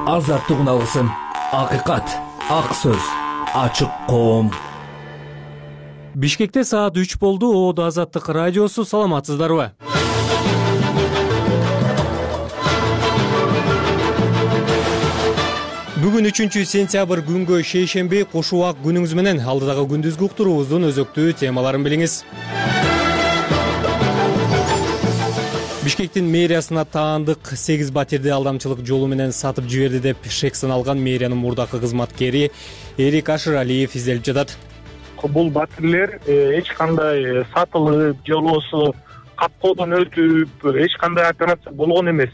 азаттыгын алсын. Акыйкат, ак сөз, ачык коом. Бишкекте саат 3 болду. Оодо Азаттык радиосу. Саламатсыздарбы? Бүгүн 3-сентябрь күнгө шейшемби. Кош убак күнүңүз менен. Алдыдагы күндүзгү уктуруубуздун өзөктүү темаларын билиңиз. Бишкектин мэриясына таандык 8 батирди алдамчылык жолу менен сатып жиберди деп шек саналган мэриянын мурдакы кызматкери Эрик Ашыралиев изделип жатат. Бул батирлер эч кандай сатылып, жолоосу капкоодон өтүп, эч кандай операция болгон эмес.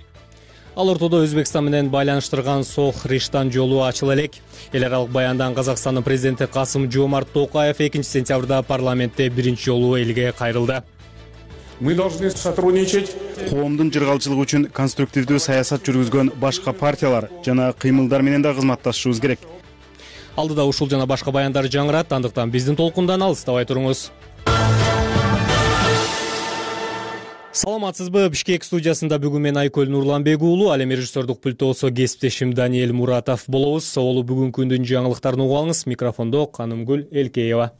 Ал ортодо Өзбекстан менен байланыштырган Сох Риштан жолу ачыла элек. Эл аралык баяндан Казакстандын президенти Касым-Жомарт Токаев 2-сентябрда парламентте биринчи жолу элге кайрылды. Мы должны сотрудничать. Коомдун жыргалчылыгы үчүн конструктивдүү саясат жүргүзгөн башка партиялар жана кыймылдар менен да кызматташышыбыз керек. Алдыда ушул жана башка баяндар жаңырат, андыктан биздин толкундан алыстабай туруңуз. Саламатсызбы? Бишкек студиясында бүгүн мен Айкөл Нурланбек уулу, ал эми режиссердук пультосо кесиптешим Даниэль Муратов болобуз. Соолу бүгүнкү күндүн жаңылыктарын угуп алыңыз. Микрофондо Канымгүл Элкеева.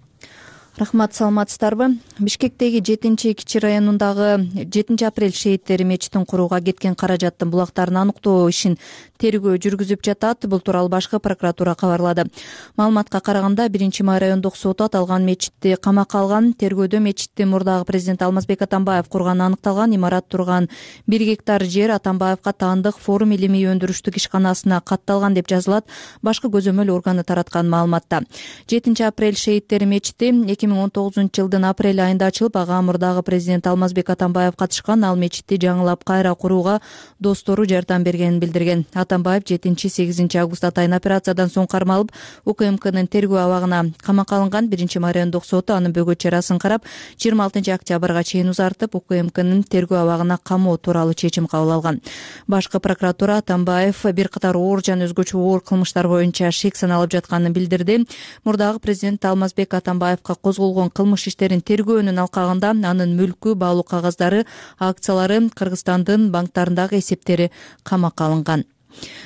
Рахмат, саламатсыздарбы? Бишкектеги 7-Кичи районундагы 7-апрель шейиттери мечитин курууга кеткен каражаттын булактарын аныктоо ишин тергөө жүргүзүп жатат. Бул тууралуу башкы прокуратура кабарлады. Маалыматка караганда 1-Май райондук соту аталган мечитти камакка алган. Тергөөдө мечитти мурдагы президент Алмазбек Атамбаев курганы аныкталган. Имарат турган 1 гектар жер Атамбаевка таандык форум илимий өндүрүштүк ишканасына катталган деп жазылат башкы көзөмөл органы тараткан маалыматта. 7-апрель шейиттери мечити 2019-жылдын апрель айында ачылып, ага мурдагы президент Алмазбек Атамбаев катышкан. Ал мечитти жаңылап кайра курууга достору жардам бергенин билдирген. Атамбаев 7-8 август атайын операциядан соң кармалып, УКМКнын тергөө абагына камакка алынган. 1-Май райондук соту анын бөгөт чарасын карап, 26 октябрга чейин узартып, УКМКнын тергөө абагына камоо тууралуу чечим кабыл алган. Башкы прокуратура Атамбаев бир катар оор жана өзгөчө оор кылмыштар боюнча шек саналып жатканын билдирди. Мурдагы президент Алмазбек Атамбаевка козголгон кылмыш иштерин тергөөнүн алкагында анын мүлкү, баалуу кагаздары, акциялары, Кыргызстандын банктарындагы эсептери камакка алынган.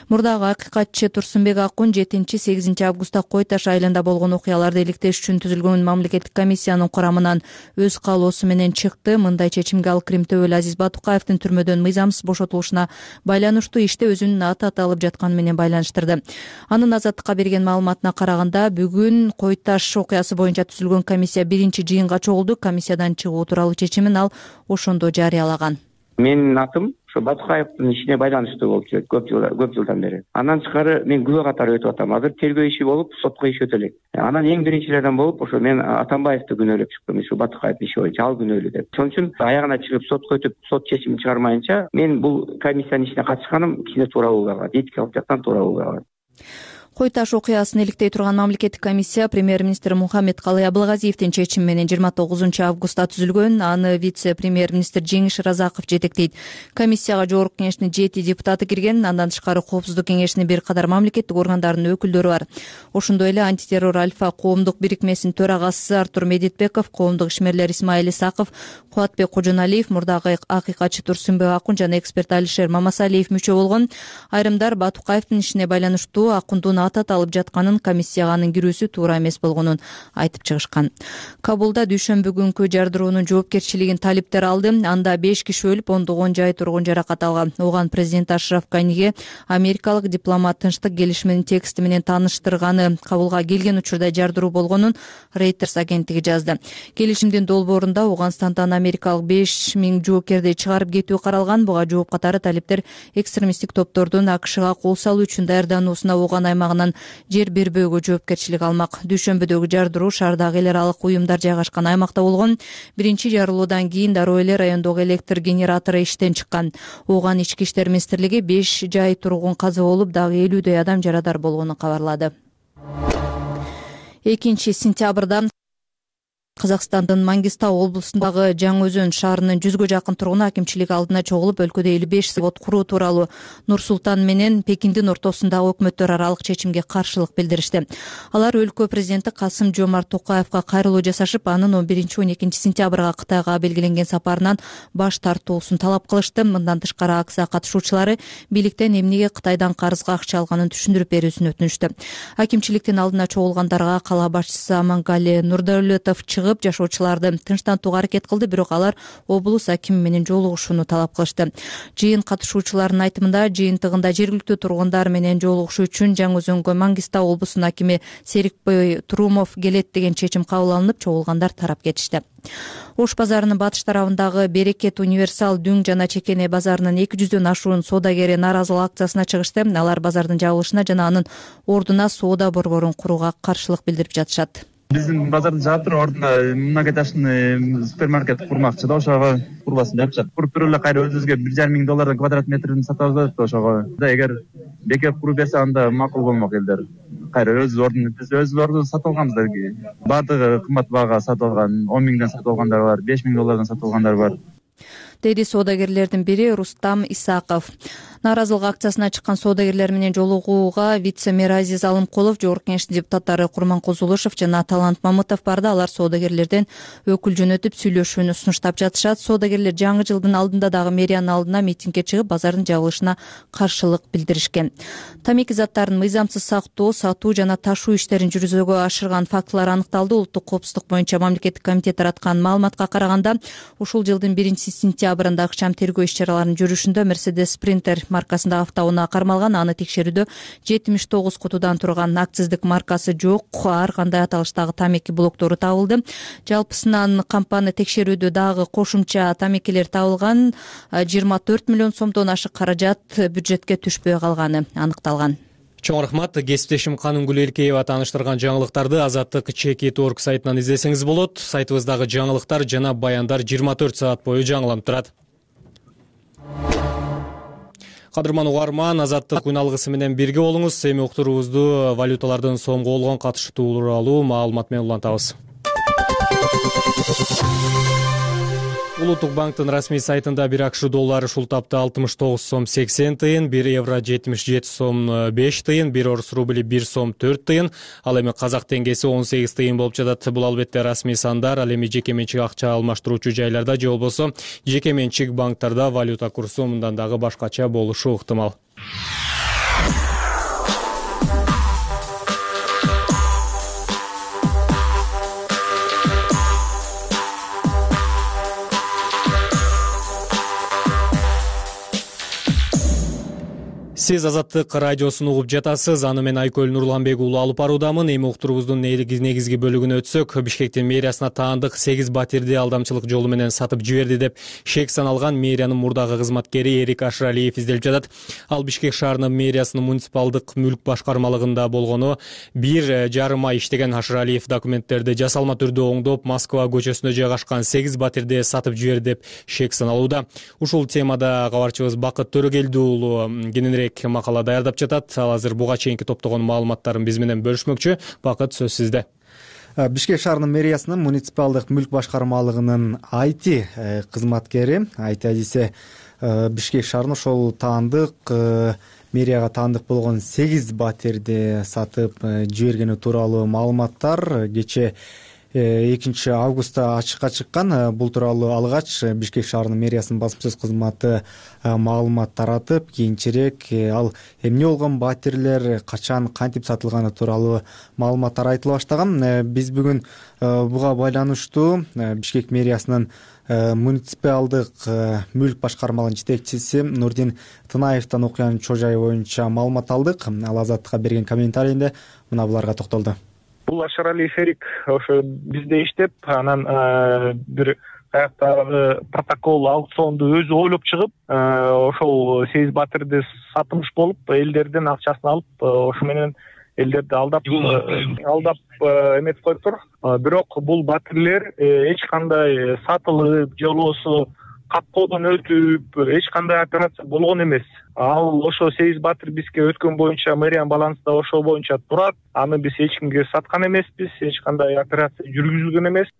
Мурдагы акыйкатчы Турсунбек Акун 7-8 августта Кой Таш айылында болгон окуяларды иликтеш үчүн түзүлгөн мамлекеттик комиссиянын курамынан өз каалоосу менен чыкты. Мындай чечимге ал Крим төбөлү Азиз Батукаевдин түрмөдөн мыйзамсыз бошотулушуна байланыштуу иште өзүнүн аты аталып жатканы менен байланыштырды. Анын Азаттыкка берген маалыматына караганда, бүгүн Кой Таш окуясы боюнча түзүлгөн комиссия биринчи жыйынга чогулду. Комиссиядан чыгуу тууралуу чечимин ал ошондо жарыялаган. Менин атым ошо Батукаевдин ишине байланыштуу болуп жүрөт көп жылдан бери. Андан тышкары мен күбө катары өтүп атам. Азыр тергөө иши болуп, сотко иш өтө элек. Анан эң биринчилерден болуп, ошо мен Атамбаевди күнөөлөп чыктым, ошо Батукаевдин иши боюнча ал күнөөлүү деп. Ошон үчүн аягына чыгып сотко өтүп, сот чечимин чыгармайынча мен бул комиссиянын ишине катышканым кичине туура болбой калат, этикалык жактан туура болбой калат. Кой Таш окуясын иликтей турган мамлекеттик комиссия премьер-министр Мухаммедкалый Абылгазиевдин чечими менен 29 августта түзүлгөн. Аны вице-премьер-министр Жеңиш Разаков жетектейт. Комиссияга жогорку кеңештин 7 депутаты кирген. Андан тышкары Коопсуздук кеңешинин бир катар мамлекеттик органдарынын өкүлдөрү бар. Ошондой эле антитеррор Альфа коомдук бирикмесинин төрагасы Артур Медетбеков, коомдук ишмерлер Исмаил Исаков, Кубатбек Кожоналиев, мурдагы акыйкатчы Турсунбек Акун жана эксперт Алишер Мамасалиев мүчө болгон. Айрымдар Батукаевдин ишине байланыштуу Акундун аты аталып жатканын, комиссияга анын кирүүсү туура эмес болгонун айтып чыгышкан. Кабулда дүйшөмбү күнкү жардыроонун жоопкерчилигин талиптер алды. Анда 5 киши өлүп, 10 тургун жаракат алган. Оган президент Ашраф Ганиге америкалык дипломат тынчтык келишиминин тексти менен тааныштырганы кабулга келген учурда жардыруу болгонун Reuters агенттиги жазды. Келишимдин долбоорунда Ауганстандан америкалык 5000 жоокерди чыгарып кетүү каралган. Буга жооп катары талиптер экстремисттик топтордун АКШга кол салуу үчүн даярдануусуна Оган аймагынан жер бербөөгө жоопкерчилик алмак. Дүйшөмбүдөгү жардыруу шаардагы эл аралык уюмдар жайгашкан аймакта болгон. Биринчи жарылуудан кийин дароо эле райондогу электр генератору иштен чыккан. Оган ички иштер министрлиги 5 жай тургун каза болуп, дагы 50дөй адам жарадар болгонун кабарлады. 2 сентябрда Казакстандын Мангистау облусундагы Жаңы Өзөн шаарынын 100гө жакын тургуну акимчилик алдына чогулуп, өлкөдө 55 завод куруу тууралуу Нур Султан менен Пекиндин ортосундагы өкмөттөр аралык чечимге каршылык билдиришти. Алар өлкө президенти Касым-Жомарт Токаевга кайрылуу жасашып, анын 11-12 сентябрга Кытайга белгиленген сапарынан баш тартуусун талап кылышты. Мындан тышкары акция катышуучулары бийликтен эмнеге Кытайдан карызга акча алганын түшүндүрүп берүүсүн өтүнүштү. Акимчиликтин алдына чогулгандарга кала башчысы Амангали Нурдаулетов чыгып, жашоочуларды тынчтантууга аракет кылды, бирок алар облус акими менен жолугушууну талап кылышты. Жыйын катышуучуларынын айтымында, жыйынтыгында жергиликтүү тургундар менен жолугушуу үчүн Жаңы Өзөнгө Мангистау облусунун акими Серикбой Турумов келет деген чечим кабыл алынып, чогулгандар тарап кетишти. Ош базарынын батыш тарабындагы Берекет Универсал Дүң жана Чекене базарынын 200дөн ашуун соодагери нааразылык акциясына чыгышты. Алар базардын жабылышына жана анын ордуна соода борборун курууга каршылык билдирип жатышат. Биздин базарды жаап туруп, ордуна многоэтажный супермаркет курмакчы да, ошого курбасын жапышат. Куруп туруп эле кайра өзүбүзгө $1,500 квадрат метрин сатып алып атат ошого. Эгер бекеп куруп берсе, анда макул болмок элдер. Кайра биз өз ордун сатып алганбыз. Баардыгы кымбат баага сатып алган, $10,000 сатып алгандар бар, $5,000 сатып алгандар бар, деди соодагерлердин бири Рустам Исаков. Нааразылык акциясына чыккан соодагерлер менен жолугууга вице-мэр Азиз Алымкулов, Жогорку Кеңештин депутаттары Курманкул Зулушев жана Талант Мамытов барды. Алар соодагерлерден өкүл жөнөтүп сүйлөшүүнү сунуштап жатышат. Соодагерлер жаңы жылдын алдында дагы мэриянын алдына митингге чыгып, базардын жабылышына каршылык билдиришкен. Тамеки заттарын мыйзамсыз сактоо, сатуу жана ташуу иштерин жүргүзүүгө ашырган фактылар аныкталды. Улуттук коопсуздук боюнча мамлекеттик комитет тараткан маалыматка караганда, ушул жылдын 1-сентябрында ыкчам тергөө иш-чараларынын жүрүшүндө Mercedes Sprinter маркасындагы автоунаа кармалган. Аны текшерүүдө 79 кутудан турган акциздик маркасы жок ар кандай аталыштагы тамеки блоктору табылды. Жалпысынан компания текшерүүдө дагы кошумча тамекилер табылган. 24 миллион сомдон ашык каражат бюджетке түшпөй калганы аныкталган. Чоң рахмат. Кесиптешим Канунгүл Элкеева тааныштырган жаңылыктарды Азаттык Чекит.org сайтынан издесеңиз болот. Сайтыбыздагы жаңылыктар жана баяндар 24 саат бою жаңыланып турат. Кадырман угарман, Азаттык күн алгысы менен бирге болуңуз. Эми уктуруубузду валюталардын сомго болгон катышы тууралуу маалымат менен улантабыз. Улуттук банктын расмий сайтында 1 акш доллары ушул тапта 69 сом 80 тыйын, 1 евро 77 сом 5 тыйын, 1 орус рубли 1 сом 4 тыйын, ал эми казак теңгеси 18 тыйын болуп жатат. Бул албетте расмий сандар, ал эми жеке менчик акча алмаштыруучу жайларда же болбосо жеке менчик банктарда валюта курсу мындан дагы башкача болушу ыктымал. Сиз Азаттык радиосун угуп жатасыз. Аны мен Айкөл Нурланбек уулу алып баруудамын. Эми уктуруубуздун негизги бөлүгүнө өтсөк, Бишкектин мэриясына таандык 8 батирди алдамчылык жолу менен сатып жиберди деп шек саналган мэриянын мурдагы кызматкери Эрик Ашыралиев изделип жатат. Ал Бишкек шаарынын мэриясынын муниципалдык мүлк башкармалыгында болгону 1,5 ай иштеген Ашыралиев документтерди жасалма түрдө оңдоп, Москва көчөсүндө жайгашкан 8 батирди сатып жиберди деп шек саналууда. Ушул темада кабарчыбыз Бакыт Төрөгелди уулу кененирээк макала даярдап жатат. Ал азыр буга чейинки топтогон маалыматтарын биз менен бөлүшмөкчү. Бакыт, сөз сизде. Бишкек шаарынын мэриясынын муниципалдык мүлк башкармалыгынын IT кызматкери Айдисе Бишкек шаарынын ошол таандык мэрияга таандык болгон 8 батирди сатып жибергени тууралуу маалыматтар кече 2 августта ачыкка чыккан. Бул тууралуу алгач Бишкек шаарынын мэриясынын басма сөз кызматы маалымат таратып, кийинчерээк ал эмне болгон батирлер качан кантип сатылганы тууралуу маалыматтар айтыла баштаган. Биз бүгүн буга байланыштуу Бишкек мэриясынын муниципалдык мүлк башкармалыгынын жетекчиси Нурдин Тынаевден окуянын чоо жайы боюнча маалымат алдык. Ал Азаттыкка берген комментарийинде мына буларга токтолду. Бул Ашыралиев Эрик ошо бизде иштеп, анан бир каяктагы протокол аукционду өзү ойлоп чыгып, ошол 8 батирди сатымыш болуп, элдерден акчасын алып, ошо менен элдерди алдап эметип коюптур. Бирок бул батирлер эч кандай сатылып же болбосо капкодон өтүп эч кандай операция болгон эмес. Ал ошо 8 батир бизге өткөн боюнча мэриянын балансында ошол боюнча турат. Аны биз эч кимге саткан эмеспиз, эч кандай операция жүргүзүлгөн эмес.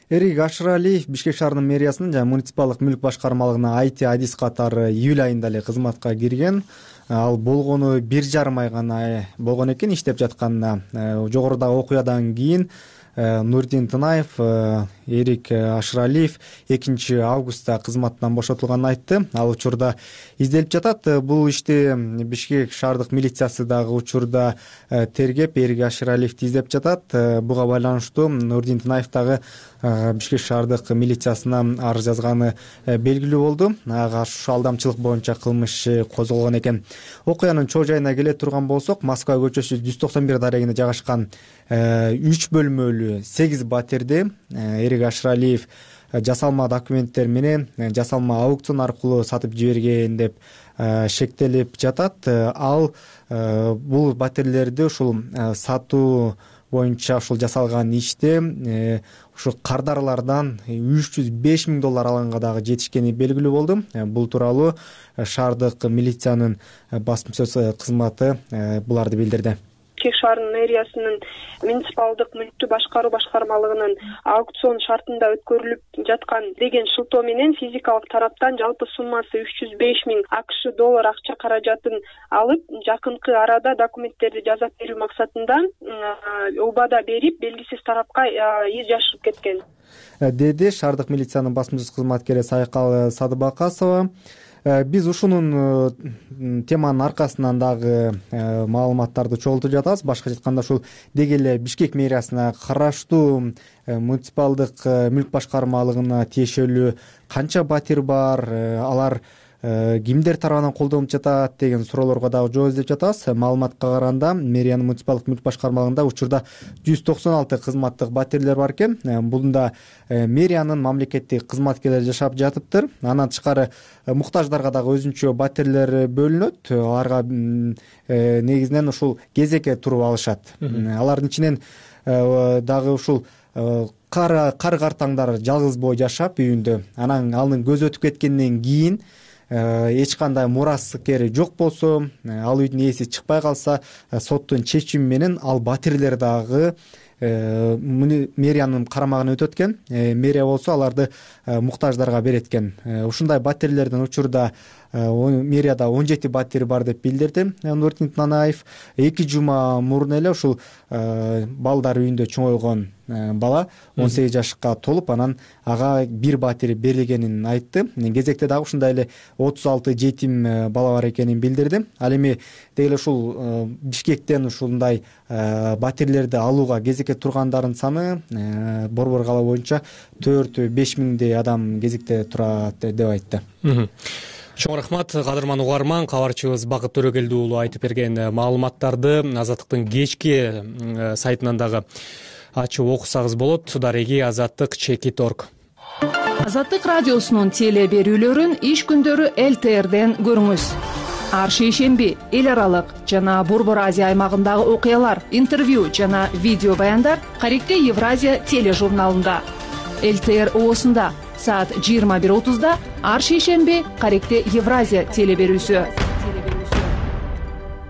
Эрик Ашыралиев Бишкек шаарынын мэриясынын жана муниципалдык мүлк башкармалыгына IT адис катары июль айында эле кызматка кирген. Ал болгону 1,5 ай гана болгон экен иштеп жатканына. Жогорудагы окуядан кийин Нурдин Тынаев Эрик Ашыралиев 2 августта кызматтан бошотулганын айтты. Ал учурда изделип жатат. Бул ишти Бишкек шаардык милициясы дагы учурда тергеп Эрик Ашыралиевди издеп жатат. Буга байланыштуу Нурдин Тынаев дагы Бишкек шаардык милициясына арыз жазганы белгилүү болду. Ага алдамчылык боюнча кылмыш козголгон экен. Окуянын чоо жайына келе турган болсок, Москва көчөсү 191 дарегинде жайгашкан 3 бөлмөлүү 8 батирди Эрик Ашыралиев жасалма документтер менен жасалма аукцион аркылуу сатып жиберген деп шектелип жатат. Ал бул батирлерди ушул сатуу боюнча ушул жасалган иште ушу кардарлардан $305,000 алганга дагы жетишкени белгилүү болду. Бул тууралуу шаардык милициянын басма сөз кызматы буларды билдирди. Бишкек шаарынын мэриясынын муниципалдык мүлктү башкаруу башкармалыгынын аукцион шартында өткөрүлүп жаткан деген шылтоо менен физикалык тараптан жалпы суммасы $305,000 акча каражатын алып, жакынкы арада документтерди жасап берүү максатында убада берип, белгисиз тарапка из жашырып кеткен, деди шаардык милициянын басма сөз кызматкери Сайкал Садыбакасова. Биз ушунун теманын аркасынан дагы маалыматтарды чогултуп жатабыз. Башка айтканда ушул деги эле Бишкек мэриясына караштуу муниципалдык мүлк башкармалыгына тиешелүү канча батир бар, алар кимдер тарабынан колдонулуп жатат деген суроолорго дагы жооп издеп жатабыз. Маалыматка караганда мэриянын муниципалдык мүлк башкармалыгында учурда 196 кызматтык батирлер бар экен. Бунда мэриянын мамлекеттик кызматкерлери жашап жатыптыр. Андан тышкары муктаждарга дагы өзүнчө батирлер бөлүнөт. Аларга негизинен ушул кезекке туруп алышат. Алардын ичинен дагы ушул кар-картаңдар жалгыз боо жашап үйүндө, анан анын көзү өтүп кеткенден кийин эч кандай мураскери жок болсо, ал үйдүн ээси чыкпай калса, соттун чечими менен ал батирлер дагы мэриянын карамагына өтөт экен. Мэрия болсо аларды муктаждарга берет экен. Ушундай батирлердин учурда мэрияда 17 батир бар деп билдирди Нурдин Тынаев. 2 жума мурун эле ушул балдар үйүндө чоңойгон бала 18 жашка толуп, анан ага 1 батир берилгенин айтты. Кезекте дагы ушундай эле 36 жетим бала бар экенин билдирди. Ал эми деги эле ушул Бишкектен ушундай батирлерди алууга кезекке тургандардын саны Борбор кала боюнча 4-5 миңдей адам кезекте турат деп айтты. Чоң рахмат, кадырман угарман. Кабарчыбыз Бакыт Төрөгелди уулу айтып берген маалыматтарды Азаттыктын кечки сайтынан дагы ачып окусаңыз болот. Дареги Азаттык.org. Азаттык радиосунун теле берүүлөрүн иш күндөрү ЛТРден көрүңүз. Ар шейшемби эл аралык жана Борбор Азия аймагындагы окуялар, интервью жана видео баяндар Каректе Евразия тележурналында. ЛТР оосунда саат 21:30 ар шейшемби Каректе Евразия теле берүүсү.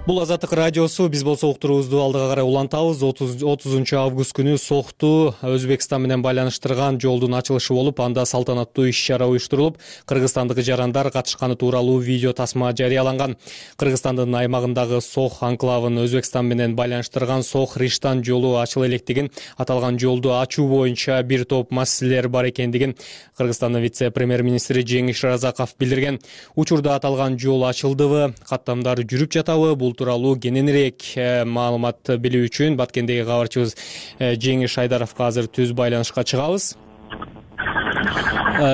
Бул Азаттык радиосу. Биз болсо уктуруубузду алдыга карай улантабыз. 30 август күнү Сохту Өзбекстан менен байланыштырган жолдун ачылышы болуп, анда салтанаттуу иш-чара уюштурулуп, кыргызстандык жарандар катышканы тууралуу видео тасма жарыяланган. Кыргызстандын аймагындагы Сох анклавын Өзбекстан менен байланыштырган Сох-Риштан жолу ачыла электигин, аталган жолду ачуу боюнча бир топ маселелер бар экендигин Кыргызстандын вице-премьер-министри Жеңиш Разаков билдирген. Учурда аталган жол ачылдыбы, каттамдар жүрүп жатабы? Бул тууралуу кененирээк маалымат билүү үчүн Баткендеги кабарчыбыз Жеңиш Айдаровго азыр түз байланышка чыгабыз.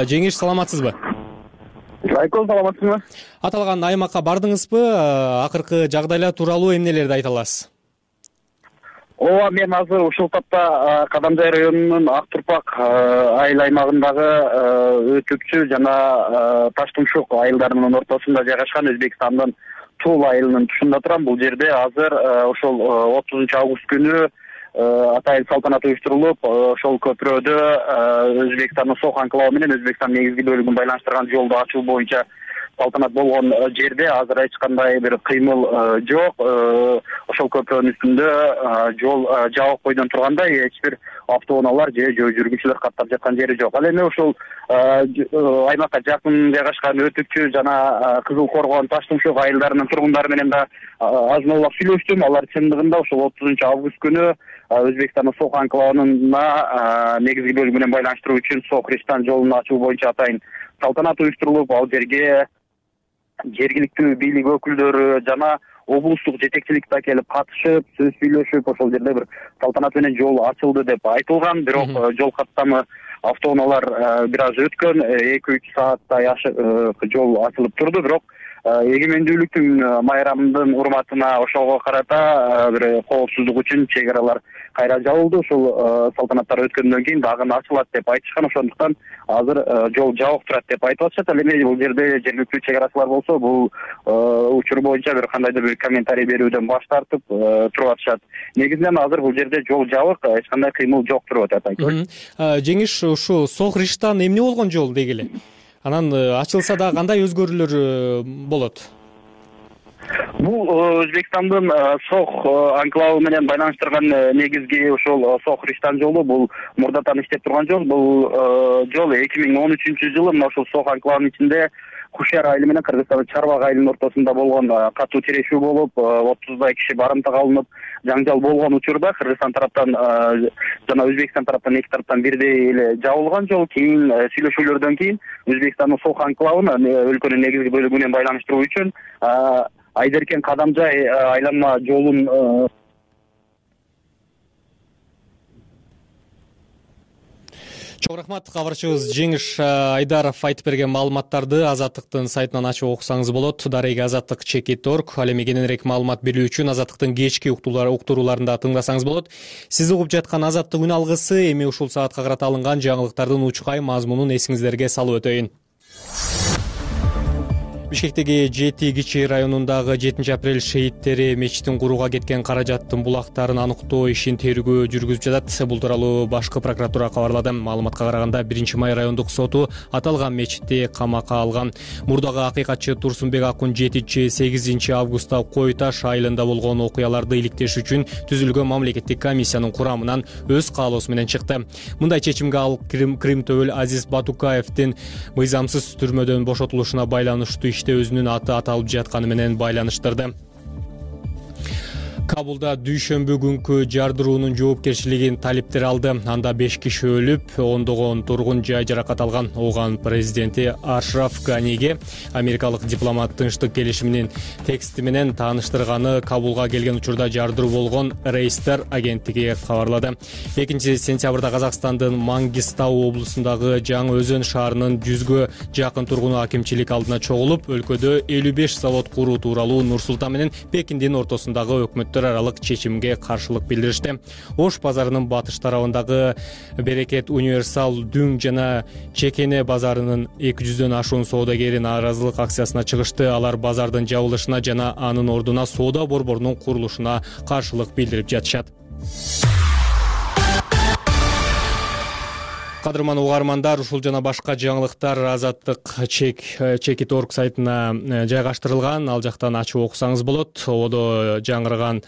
Жеңиш, саламатсызбы? Жайкол, саламатсызбы? Аталган аймакка бардыңызбы? Акыркы жагдайлар тууралуу эмнелерди айта аласыз? Ооба, мен азыр ушул тапта Кадамжай районунун Ак Турпак айыл аймагындагы Өтүкчү жана Таштумшук айылдарынын ортосунда жайгашкан Өзбекстандын Тула айылынын тушунда турам. Бул жерде азыр ошол 30 август күнү атайын салтанат уюштурулуп, ошол көпүрөдө Өзбекстандын Сох анклавы менен Өзбекстандын негизги бөлүгүн байланыштырган жолду ачуу боюнча салтанат болгон жерде азыр эч кандай бир кыймыл жок. Ошол көпөрөнүн үстүндө жол жабык бойдон тургандай эч бир автоунаалар же жөө жүргүнчүлөр каттап жаткан жери жок. Ал эми ушул аймакка жакын жайгашкан Өтүкчү жана Кызыл Коргон, Таштымшок айылдарынын тургундары менен да азын аулак сүйлөштүм. Алар чындыгында ушул 30-август күнү Өзбекстандын Сох анклавына негизги бөлүгү менен байланыштыруу үчүн Сох-Риштан жолун ачуу боюнча атайын салтанат уюштурулуп, ал жерге жергиликтүү бийлик өкүлдөрү жана облустук жетекчилик да келип катышып, сөз сүйлөшүп, ошол жерде бир салтанат менен жол ачылды деп айтылган. Бирок жол каттамы автоунаалар бир аз өткөн, 2-3 сааттай жол ачылып турду. Бирок эгемендүүлүктүн майрамынын урматына ошого карата бир коопсуздук үчүн чек аралар кайра жабылды. Ушул салтанаттар өткөндөн кийин дагы ачылат деп айтышкан. Ошондуктан азыр жол жабык турат деп айтып атышат. Ал эми бул жерде жергиликтүү чек арачылар болсо бул учур боюнча бир кандайдыр бир комментарий берүүдөн баш тартып туруп атышат. Негизинен азыр бул жерде жол жабык, эч кандай кыймыл жок туруп атат. Жеңиш, ушу Сох-Риштан эмне болгон жол дегиле? Анан ачылса да кандай өзгөрүүлөр болот? Бул Өзбекстандын Сох анклавы менен байланыштырган негизги ошол Сох-Риштан жолу. Бул мурдатан иштеп турган жол. Бул жол 2013-жылы мына ошол Сох анклавынын ичинде Кушяр айылы менен Кыргызстандын Чарбак айылынын ортосунда болгон катуу тирешүү болуп, 30дай киши барымтага алынып, жаңжал болгон учурда Кыргызстан тараптан жана Өзбекстан тараптан эки тараптан бирдей эле жабылган жол. Кийин сүйлөшүүлөрдөн кийин Өзбекстандын Сох анклавын өлкөнүн негизги бөлүгү менен байланыштыруу үчүн Айдеркен Кадамжай айланма жолун Чоң рахмат. Кабарчыбыз Жеңиш Айдаров айтып берген маалыматтарды Азаттыктын сайтынан ачып окусаңыз болот. Дареги azattik.org. Ал эми кененирээк маалымат берүү үчүн Азаттыктын кечки уктурууларында тыңдасаңыз болот. Сиз угуп жаткан Азаттык үн алгысы эми ушул саатка карата алынган жаңылыктардын учкай мазмунун эсиңиздерге салып өтөйүн. Бишкектеги Жети Кичи районундагы 7-апрель шейиттери мечитин курууга кеткен каражаттын булактарын аныктоо ишин тергөө жүргүзүп жатат. Бул тууралуу башкы прокуратура кабарлады. Маалыматка караганда 1-май райондук соту аталган мечитти камакка алган. Мурдагы акыйкатчы Турсунбек Акун 7-8 августта Кой Таш айылында болгон окуяларды иликтеш үчүн түзүлгөн мамлекеттик комиссиянын курамынан өз каалоосу менен чыкты. Мындай чечимге ал Крим Төбөл Азиз Батукаевдин мыйзамсыз түрмөдөн бошотулушуна байланыштуу өзүнүн аты аталып жатканы менен байланыштырды. Кабулда дүйшөмбү күнкү жардыруунун жоопкерчилигин талиптер алды. Анда 5 киши өлүп, ондогон тургун жай жаракат алган. Оган президенти Ашраф Ганиге америкалык дипломат тынчтык келишиминин тексти менен тааныштырганы Кабулга келген учурда жардыруу болгон Рейстер агенттиги кабарлады. 2-сентябрда Казакстандын Мангистау облусундагы Жаңы Өзөн шаарынын 100гө жакын тургуну акимчилик алдына чогулуп, өлкөдө 55 завод куруу тууралуу Нур-Султан менен Пекиндин ортосундагы өкмөт аралык чечимге каршылык билдиришти. Ош базарынын батыш тарабындагы Берекет Универсал Дүң жана Чекене базарынын 200дөн ашуун соодагери нааразылык акциясына чыгышты. Алар базардын жабылышына жана анын ордуна соода борборунун курулушуна каршылык билдирип жатышат. Кадырман угармандар, ушул жана башка жаңылыктар azattik.org сайтына жайгаштырылган. Ал жактан ачып окусаңыз болот. Одо жаңырган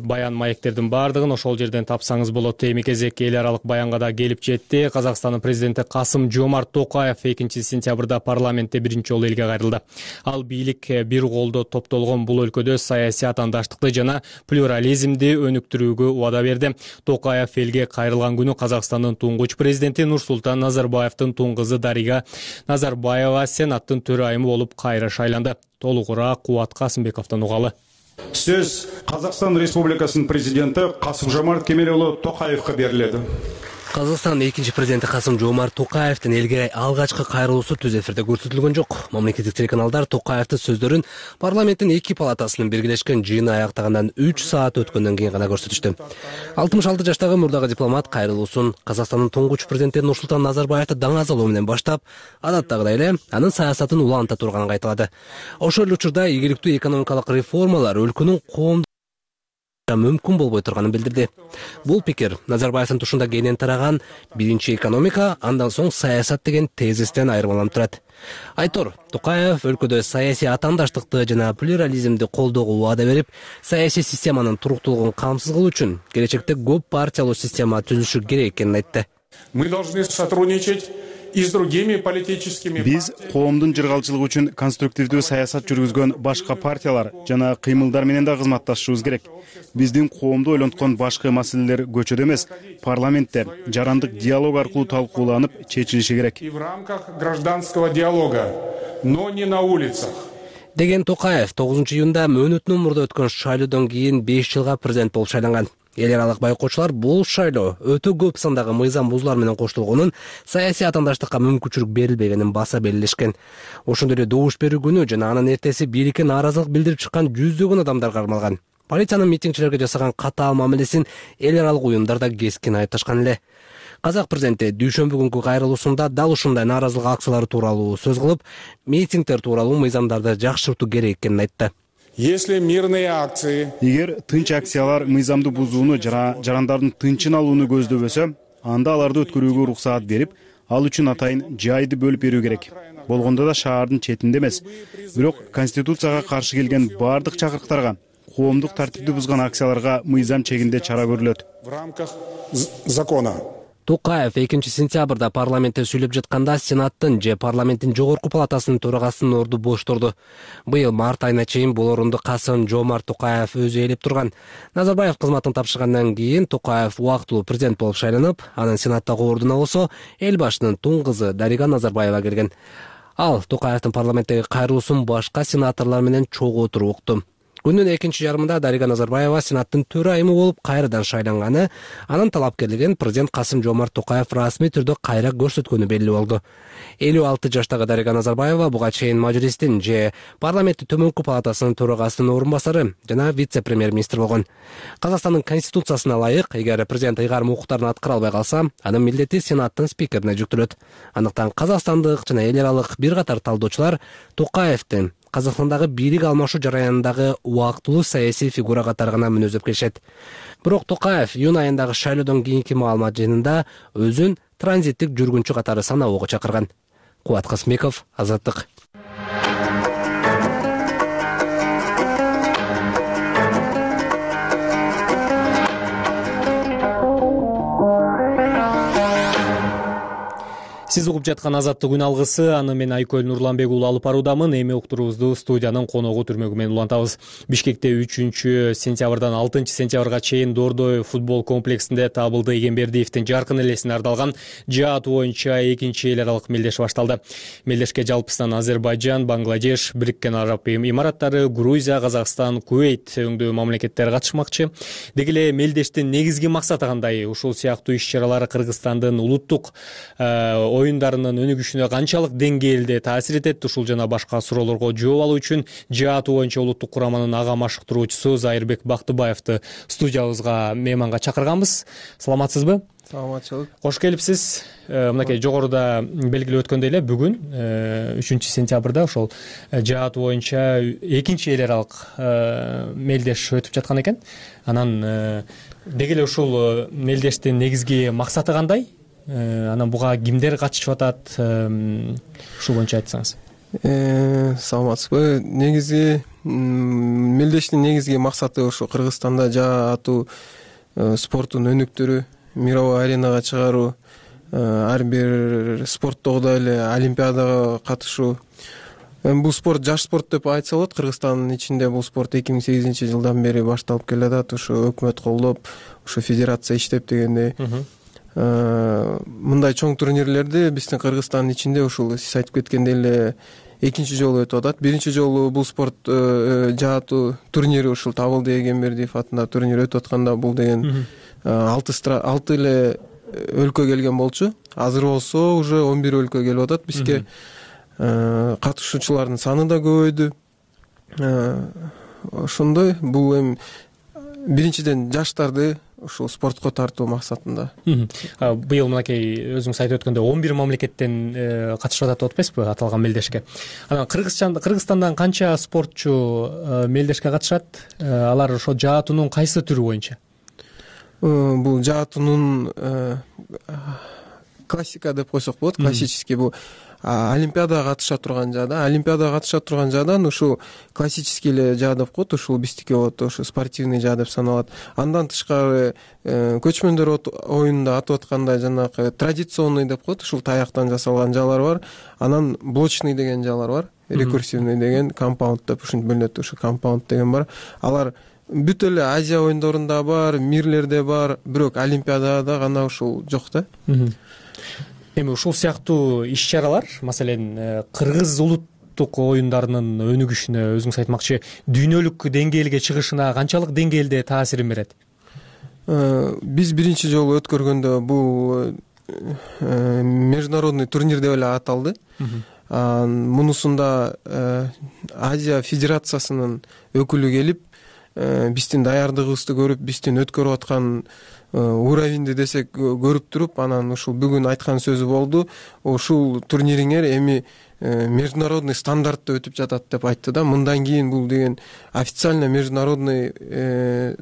баян маектердин баардыгын ошол жерден тапсаңыз болот. Эми кезек эл аралык баянга да келип жетти. Казакстандын президенти Касым-Жомарт Токаев 2-сентябрда парламентте биринчи жолу элге кайрылды. Ал бийлик бир колдо топтолгон бул өлкөдө саясий атаандаштыкты жана плюрализмди өнүктүрүүгө убада берди. Токаев элге кайрылган күнү Казакстандын туңгуч президенти Нурсултан Назарбаевдин тууң кызы Дарига Назарбаева Сенаттын төрайымы болуп кайра шайланды. Толугураак Кубат Касымбековдон угалы. Сөз Казакстан Республикасынын президенти Касым-Жомарт Кемелұлы Токаевка берилет. Казакстандын экинчи президенти Касым-Жомарт Токаевдин элге алгачкы кайрылуусу түз эфирде көрсөтүлгөн жок. Мамлекеттик телеканалдар Токаевдин сөздөрүн парламенттин эки палатасынын биргелешкен жыйыны аяктагандан 3 саат өткөндөн кийин гана көрсөтүштү. 66 жаштагы мурдагы дипломат кайрылуусун Казакстандын туңгуч президенти Нурсултан Назарбаевди даңазалоо менен баштап, адаттагыдай эле анын саясатын уланта турганын айтылады. Ошол эле учурда ийгиликтүү экономикалык реформалар өлкөнүн коомдук атандырышка мүмкүн болбой турганын билдирди. Бул пикир Назарбаевдин тушунда кенен тараган биринчи экономика, андан соң саясат деген тезистен айырмаланып турат. Айтор Токаев өлкөдө саясий атандаштыкты жана плюрализмди колдоого убада берип, саясий системанын туруктуулугун камсыз кылуу үчүн келечекте көп партиялуу система түзүлүшү керек экенин айтты. Мы должны сотрудничать и с другими политическими. Биз коомдун жыргалчылыгы үчүн конструктивдүү саясат жүргүзгөн башка партиялар жана кыймылдар менен да кызматташышыбыз керек. Биздин коомду ойлонткон башкы маселелер көчөдө эмес, парламентте жарандык диалог аркылуу талкууланып чечилиши керек. И в рамках гражданского диалога, но не на улицах. Деген Токаев 9 июнда мөөнөтүнөн мурда өткөн шайлоодон кийин 5 жылга президент болуп шайланган. Эл аралык байкоочулар бул шайлоо өтө көп сандагы мыйзам бузуулар менен коштолгонун, саясий атандаштыкка мүмкүнчүлүк берилбегенин баса белгилешкен. Ошондой эле добуш берүү күнү жана анын эртеси бийликке нааразылык билдирип чыккан жүздөгөн адамдар кармалган. Полициянын митингчилерге жасаган катаал мамилесин эл аралык уюмдар да кескин айыпташкан эле. Казак президенти дүйшөмбү күнкү кайрылуусунда дал ушундай нааразылык акциялары тууралуу сөз кылып, митингдер тууралуу мыйзамдарды жакшыртуу керек экенин айтты. Если мирные акции, эгер тынч акциялар мыйзамды бузууну жана жарандардын тынчын алууну көздөбөсө, анда аларды өткөрүүгө уруксаат берип, ал үчүн атайын жайды бөлүп берүү керек. Болгондо да шаардын четинде эмес. Бирок конституцияга каршы келген бардык чакырыктарга, коомдук тартипти бузган акцияларга мыйзам чегинде чара көрүлөт. В рамках закона. Токаев 2 сентябрда парламентте сүйлөп жатканда Сенаттын же парламенттин жогорку палатасынын төрагасынын орду бош турду. Быйыл март айына чейин бул орунду Касым-Жомарт Токаев өзү ээлеп турган. Назарбаев кызматын тапшыргандан кийин Токаев убактылуу президент болуп шайланып, анын Сенаттагы ордуна болсо эл башчынын тун кызы Дарига Назарбаева келген. Ал Токаевдин парламенттеги кайрылуусун башка сенаторлор менен чогуу отуруп укту. Күндүн экинчи жарымында Дарига Назарбаева Сенаттын төрайымы болуп кайрадан шайланганы, анын талапкерлигин президент Касым-Жомарт Токаев расмий түрдө кайра көрсөткөнү белгилүү болду. 56 жаштагы Дарига Назарбаева буга чейин Мажлистин же парламенттин төмөнкү палатасынын төрагасынын орун басары жана вице-премьер-министр болгон. Казакстандын конституциясына ылайык, эгер президент ыйгарым укуктарын аткара албай калса, анын милдети Сенаттын спикерине жүктөлөт. Андыктан казакстандык жана эл аралык бир катар талдоочулар Токаевдин Казакстандагы бийлик алмашуу жараянындагы убактылуу саясий фигура катары гана мүнөздөп келишет. Бирок Токаев июнь айындагы шайлоодон кийинки маалымат жыйынында өзүн транзиттик жүргүнчү катары саноого чакырган. Кубат Касымбеков, Азаттык. Сиз угуп жаткан Азаттык күн алгысы, аны мен Айкөл Нурланбек уулу алып баруудамын. Эми уктуруубузду студиянын коногу түрмөгү менен улантабыз. Бишкекте 3 сентябрдан 6 сентябрга чейин Дордой футбол комплексинде Табылды Эгембердиевдин жаркын элесине ардалган жаат боюнча экинчи эл аралык мелдеш башталды. Мелдешке жалпысынан Азербайжан, Бангладеш, Бириккен Араб Эмираттары, Грузия, Казакстан, Кувейт өңдүү мамлекеттер катышмакчы. Деги эле мелдештин негизги максаты кандай? Ушул сыяктуу иш-чаралар Кыргызстандын улуттук оюндарынын өнүгүшүнө канчалык деңгээлде таасир этет? Ушул жана башка суроолорго жооп алуу үчүн жаат боюнча улуттук кураманын ага машыктыруучусу Зайырбек Бактыбаевди студиябызга мейманга чакырганбыз. Саламатсызбы? Саламатчылык. Кош келипсиз. Мынакей жогоруда белгилеп өткөндөй эле бүгүн 3 сентябрда ошол жаат боюнча экинчи эл аралык мелдеш өтүп жаткан экен. Анан деги эле ушул мелдештин негизги максаты кандай? Анан буга кимдер катышып атат? Ушул боюнча айтсаңыз. Саламатсызбы. Негизги мелдештин негизги максаты ошо Кыргызстанда жаатуу спорттун өнүктүрүү, мировой аренага чыгаруу, ар бир спорттогудай эле олимпиадага катышуу. Бул спорт жаш спорт деп айтса болот. Кыргызстандын ичинде бул спорт 2008 жылдан бери башталып келатат. Ошо өкмөт колдоп, ошо федерация иштеп дегендей. Мындай чоң турнирлерди биздин Кыргызстандын ичинде ушул сиз айтып кеткендей эле экинчи жолу өтүп атат. Биринчи жолу бул спорт жаатуу турнири ушул Табылды Эгембердиев атындагы турнир өтүп атканда бул деген 6 эле өлкө келген болчу. Азыр болсо уже 11 өлкө келип атат бизге. Катышуучулардын саны да көбөйдү. Ошондой бул эми биринчиден жаштарды ушул спортко тартуу максатында. Быйыл мынакей өзүңүз айтып өткөндөй 11 мамлекеттен катышып атат деп атпайсызбы аталган мелдешке? Анан Кыргызстандан канча спортчу мелдешке катышат? Алар ошо жаатунун кайсы түрү боюнча? Бул жаатунун классика деп койсок болот. Классический бул олимпиадага катыша турган жаада. Олимпиадага катыша турган жаадан ушул классический эле жаа деп коет. Ушул биздики болот, ошо спортивный жаа деп саналат. Андан тышкары көчмөндөр оюнунда атып аткандай жанагы традиционный деп коет. Ушул таяктан жасалган жаалар бар. Анан блочный деген жаалар бар. Рекурсивный деген, компаунд деп ушинтип бөлүнөт. Ушу компаунд деген бар. Алар бүт эле Азия оюндорунда бар, мирлерде бар, бирок олимпиадада гана ушул жок да. Эми ушул сыяктуу иш-чаралар, маселен, кыргыз улуттук оюндарынын өнүгүшүнө, өзүңүз айтмакчы, дүйнөлүк деңгээлге чыгышына канчалык деңгээлде таасирин берет? Биз биринчи жолу өткөргөндө бул международный турнир деп эле аталды. Мунусунда Азия Федерациясынын өкүлү келип, биздин даярдыгыбызды көрүп, биздин өткөрүп аткан уровеньди десек көрүп туруп, анан ушул бүгүн айткан сөзү болду. Ушул турнириңер эми международный стандартта өтүп жатат деп айтты да. Мындан кийин бул деген официально международный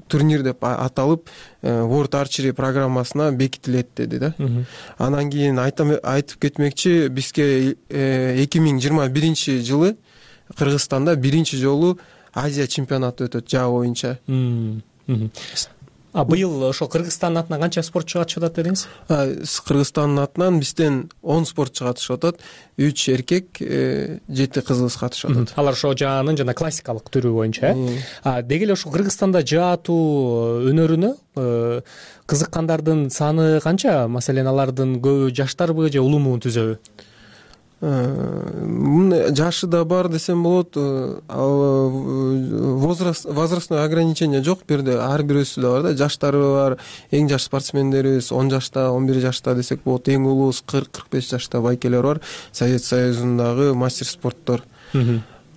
турнир деп аталып, World Archery программасына бекитилет деди да. Анан кийин айтып кетмекчи, бизге 2021 жылы Кыргызстанда биринчи жолу Азия чемпионаты өтөт жаа боюнча. Быйыл ошо Кыргызстандын атынан канча спортчу катышып атат дедиңиз? Кыргызстандын атынан бизден 10 спортчу катышып атат. 3 эркек, 7 кызыбыз катышып атат. Алар ошо жаанын жана классикалык түрү боюнча. Деги эле ошо Кыргызстанда жаатуу өнөрүнө кызыккандардын саны канча? Маселен, алардын көбү жаштарбы же улуму түзөбү? Жашы да бар десем болот. Возрастной ограничение жок. Бу жерде ар бирөөсү да бар да. Жаштары бар. Эң жаш спортсмендерибиз 10 жашта, 11 жашта десек болот. Эң улуубуз 40-45 жашта байкелер бар. Совет Союзундагы мастер спорттор.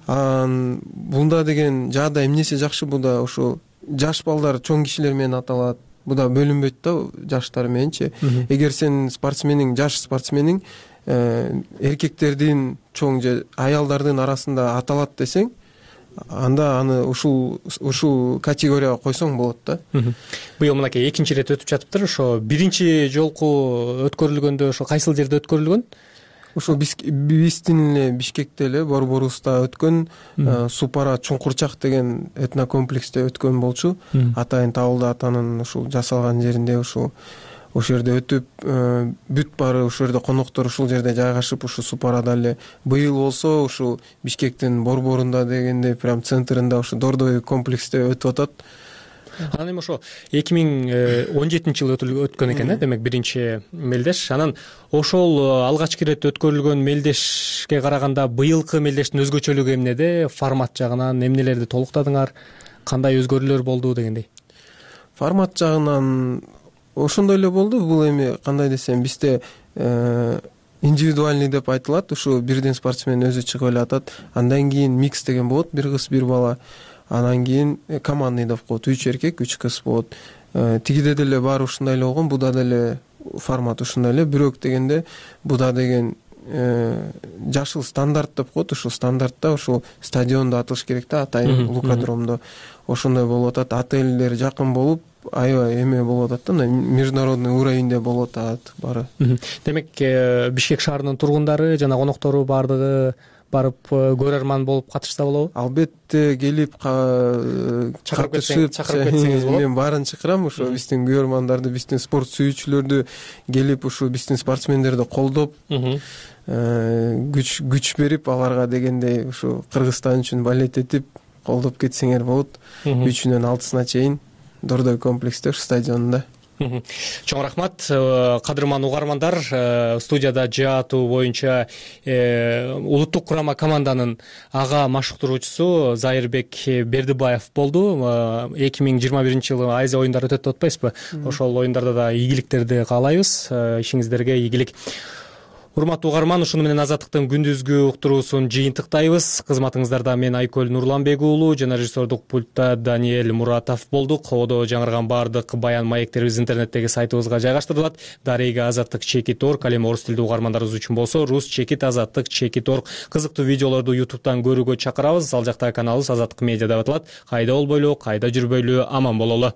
Бунда деген жаада эмнеси жакшы? Буда ошо жаш балдар чоң кишилер менен аталат. Буда бөлүнбөйт да жаштар мененчи. Эгер сен спортсмениң, жаш спортсмениң эркектердин чоң же аялдардын арасында аталат десең, анда аны ушул категорияга койсоң болот да. Быйыл мынакей экинчи ирет өтүп жатыптыр. Ошо биринчи жолку өткөрүлгөндө ошо кайсыл жерде өткөрүлгөн? Ошо биздин эле Бишкекте эле Борборубузда өткөн, Супара Чуңкурчак деген этнокомплексте өткөн болчу. Атайын Табылды атанын ушул жасалган жеринде ошол жерде өтүп, бүт баары ошол жерде коноктор ушул жерде жайгашып, ушу Супарада эле. Быйыл болсо ушул Бишкектин Борборунда дегенде прям центринде ушу Дордой комплексте өтүп атат. Анан эми ошо 2017-жылы өткөн экен, демек биринчи мелдеш. Анан ошол алгачкы ирет өткөрүлгөн мелдешке караганда быйылкы мелдештин өзгөчөлүгү эмнеде? Формат жагынан эмнелерди толуктадыңар? Кандай өзгөрүүлөр болду дегендей? Формат жагынан ошондой эле болду. Бул эми кандай десем, бизде индивидуальный деп айтылат. Ушу бирден спортсмен өзү чыгып эле атат. Андан кийин микс деген болот, бир кыз, бир бала. Анан кийин командный деп коет, 3 эркек, 3 кыз болот. Тигиде деле баары ушундай эле болгон, буда деле формат ушундай эле. Бирок дегенде буда деген жашыл стандарт деп коет. Ушул стандартта ушул стадиондо атылыш керек да, атайын лукадромдо. Ошондой болуп атат. Отелдер жакын болуп, аябай эме болуп атат да, международный уровеньде болуп атат баары. Демек, Бишкек шаарынын тургундары жана коноктору баардыгы барып көрөрман болуп катышса болобу? Албетте келип чакырып кетсеңиз болот. Мен баарын чакырам, ошо биздин көрөрмандарды, биздин спорт сүйүүчүлөрдү келип ушу биздин спортсмендерди колдоп, күч берип, аларга дегендей ушу Кыргызстан үчүн балет этип колдоп кетсеңер болот. 3-үнөн 6-сына чейин Дордой комплексте, ушу стадионунда. Чоң рахмат, кадырман угармандар. Студияда жаатуу боюнча улуттук курама команданын ага машыктыруучусу Зайырбек Бердибаев болду. 2021-жылы Азия оюндары өтөт деп атпайсызбы? Ошол оюндарда да ийгиликтерди каалайбыз. Ишиңиздерге ийгилик. Урматтуу угарман, ушуну менен Азаттыктын күндүзгү уктуруусун жыйынтыктайбыз. Кызматыңыздарда мен Айкөл Нурланбек уулу жана режиссердук пультта Даниэль Муратов болдук. Ободо жаңырган баардык баян маектерибиз интернеттеги сайтыбызга жайгаштырылат. Дарега Азаттык /org, ал эми орус тилдүү угармандарыбыз үчүн болсо Rus/Азаттык /org. Кызыктуу видеолорду YouTube'дан көрүүгө чакырабыз. Ал жактагы каналыбыз Азаттык медиа деп аталат. Кайда болбойлу, кайда жүрбөйлү, аман бололу.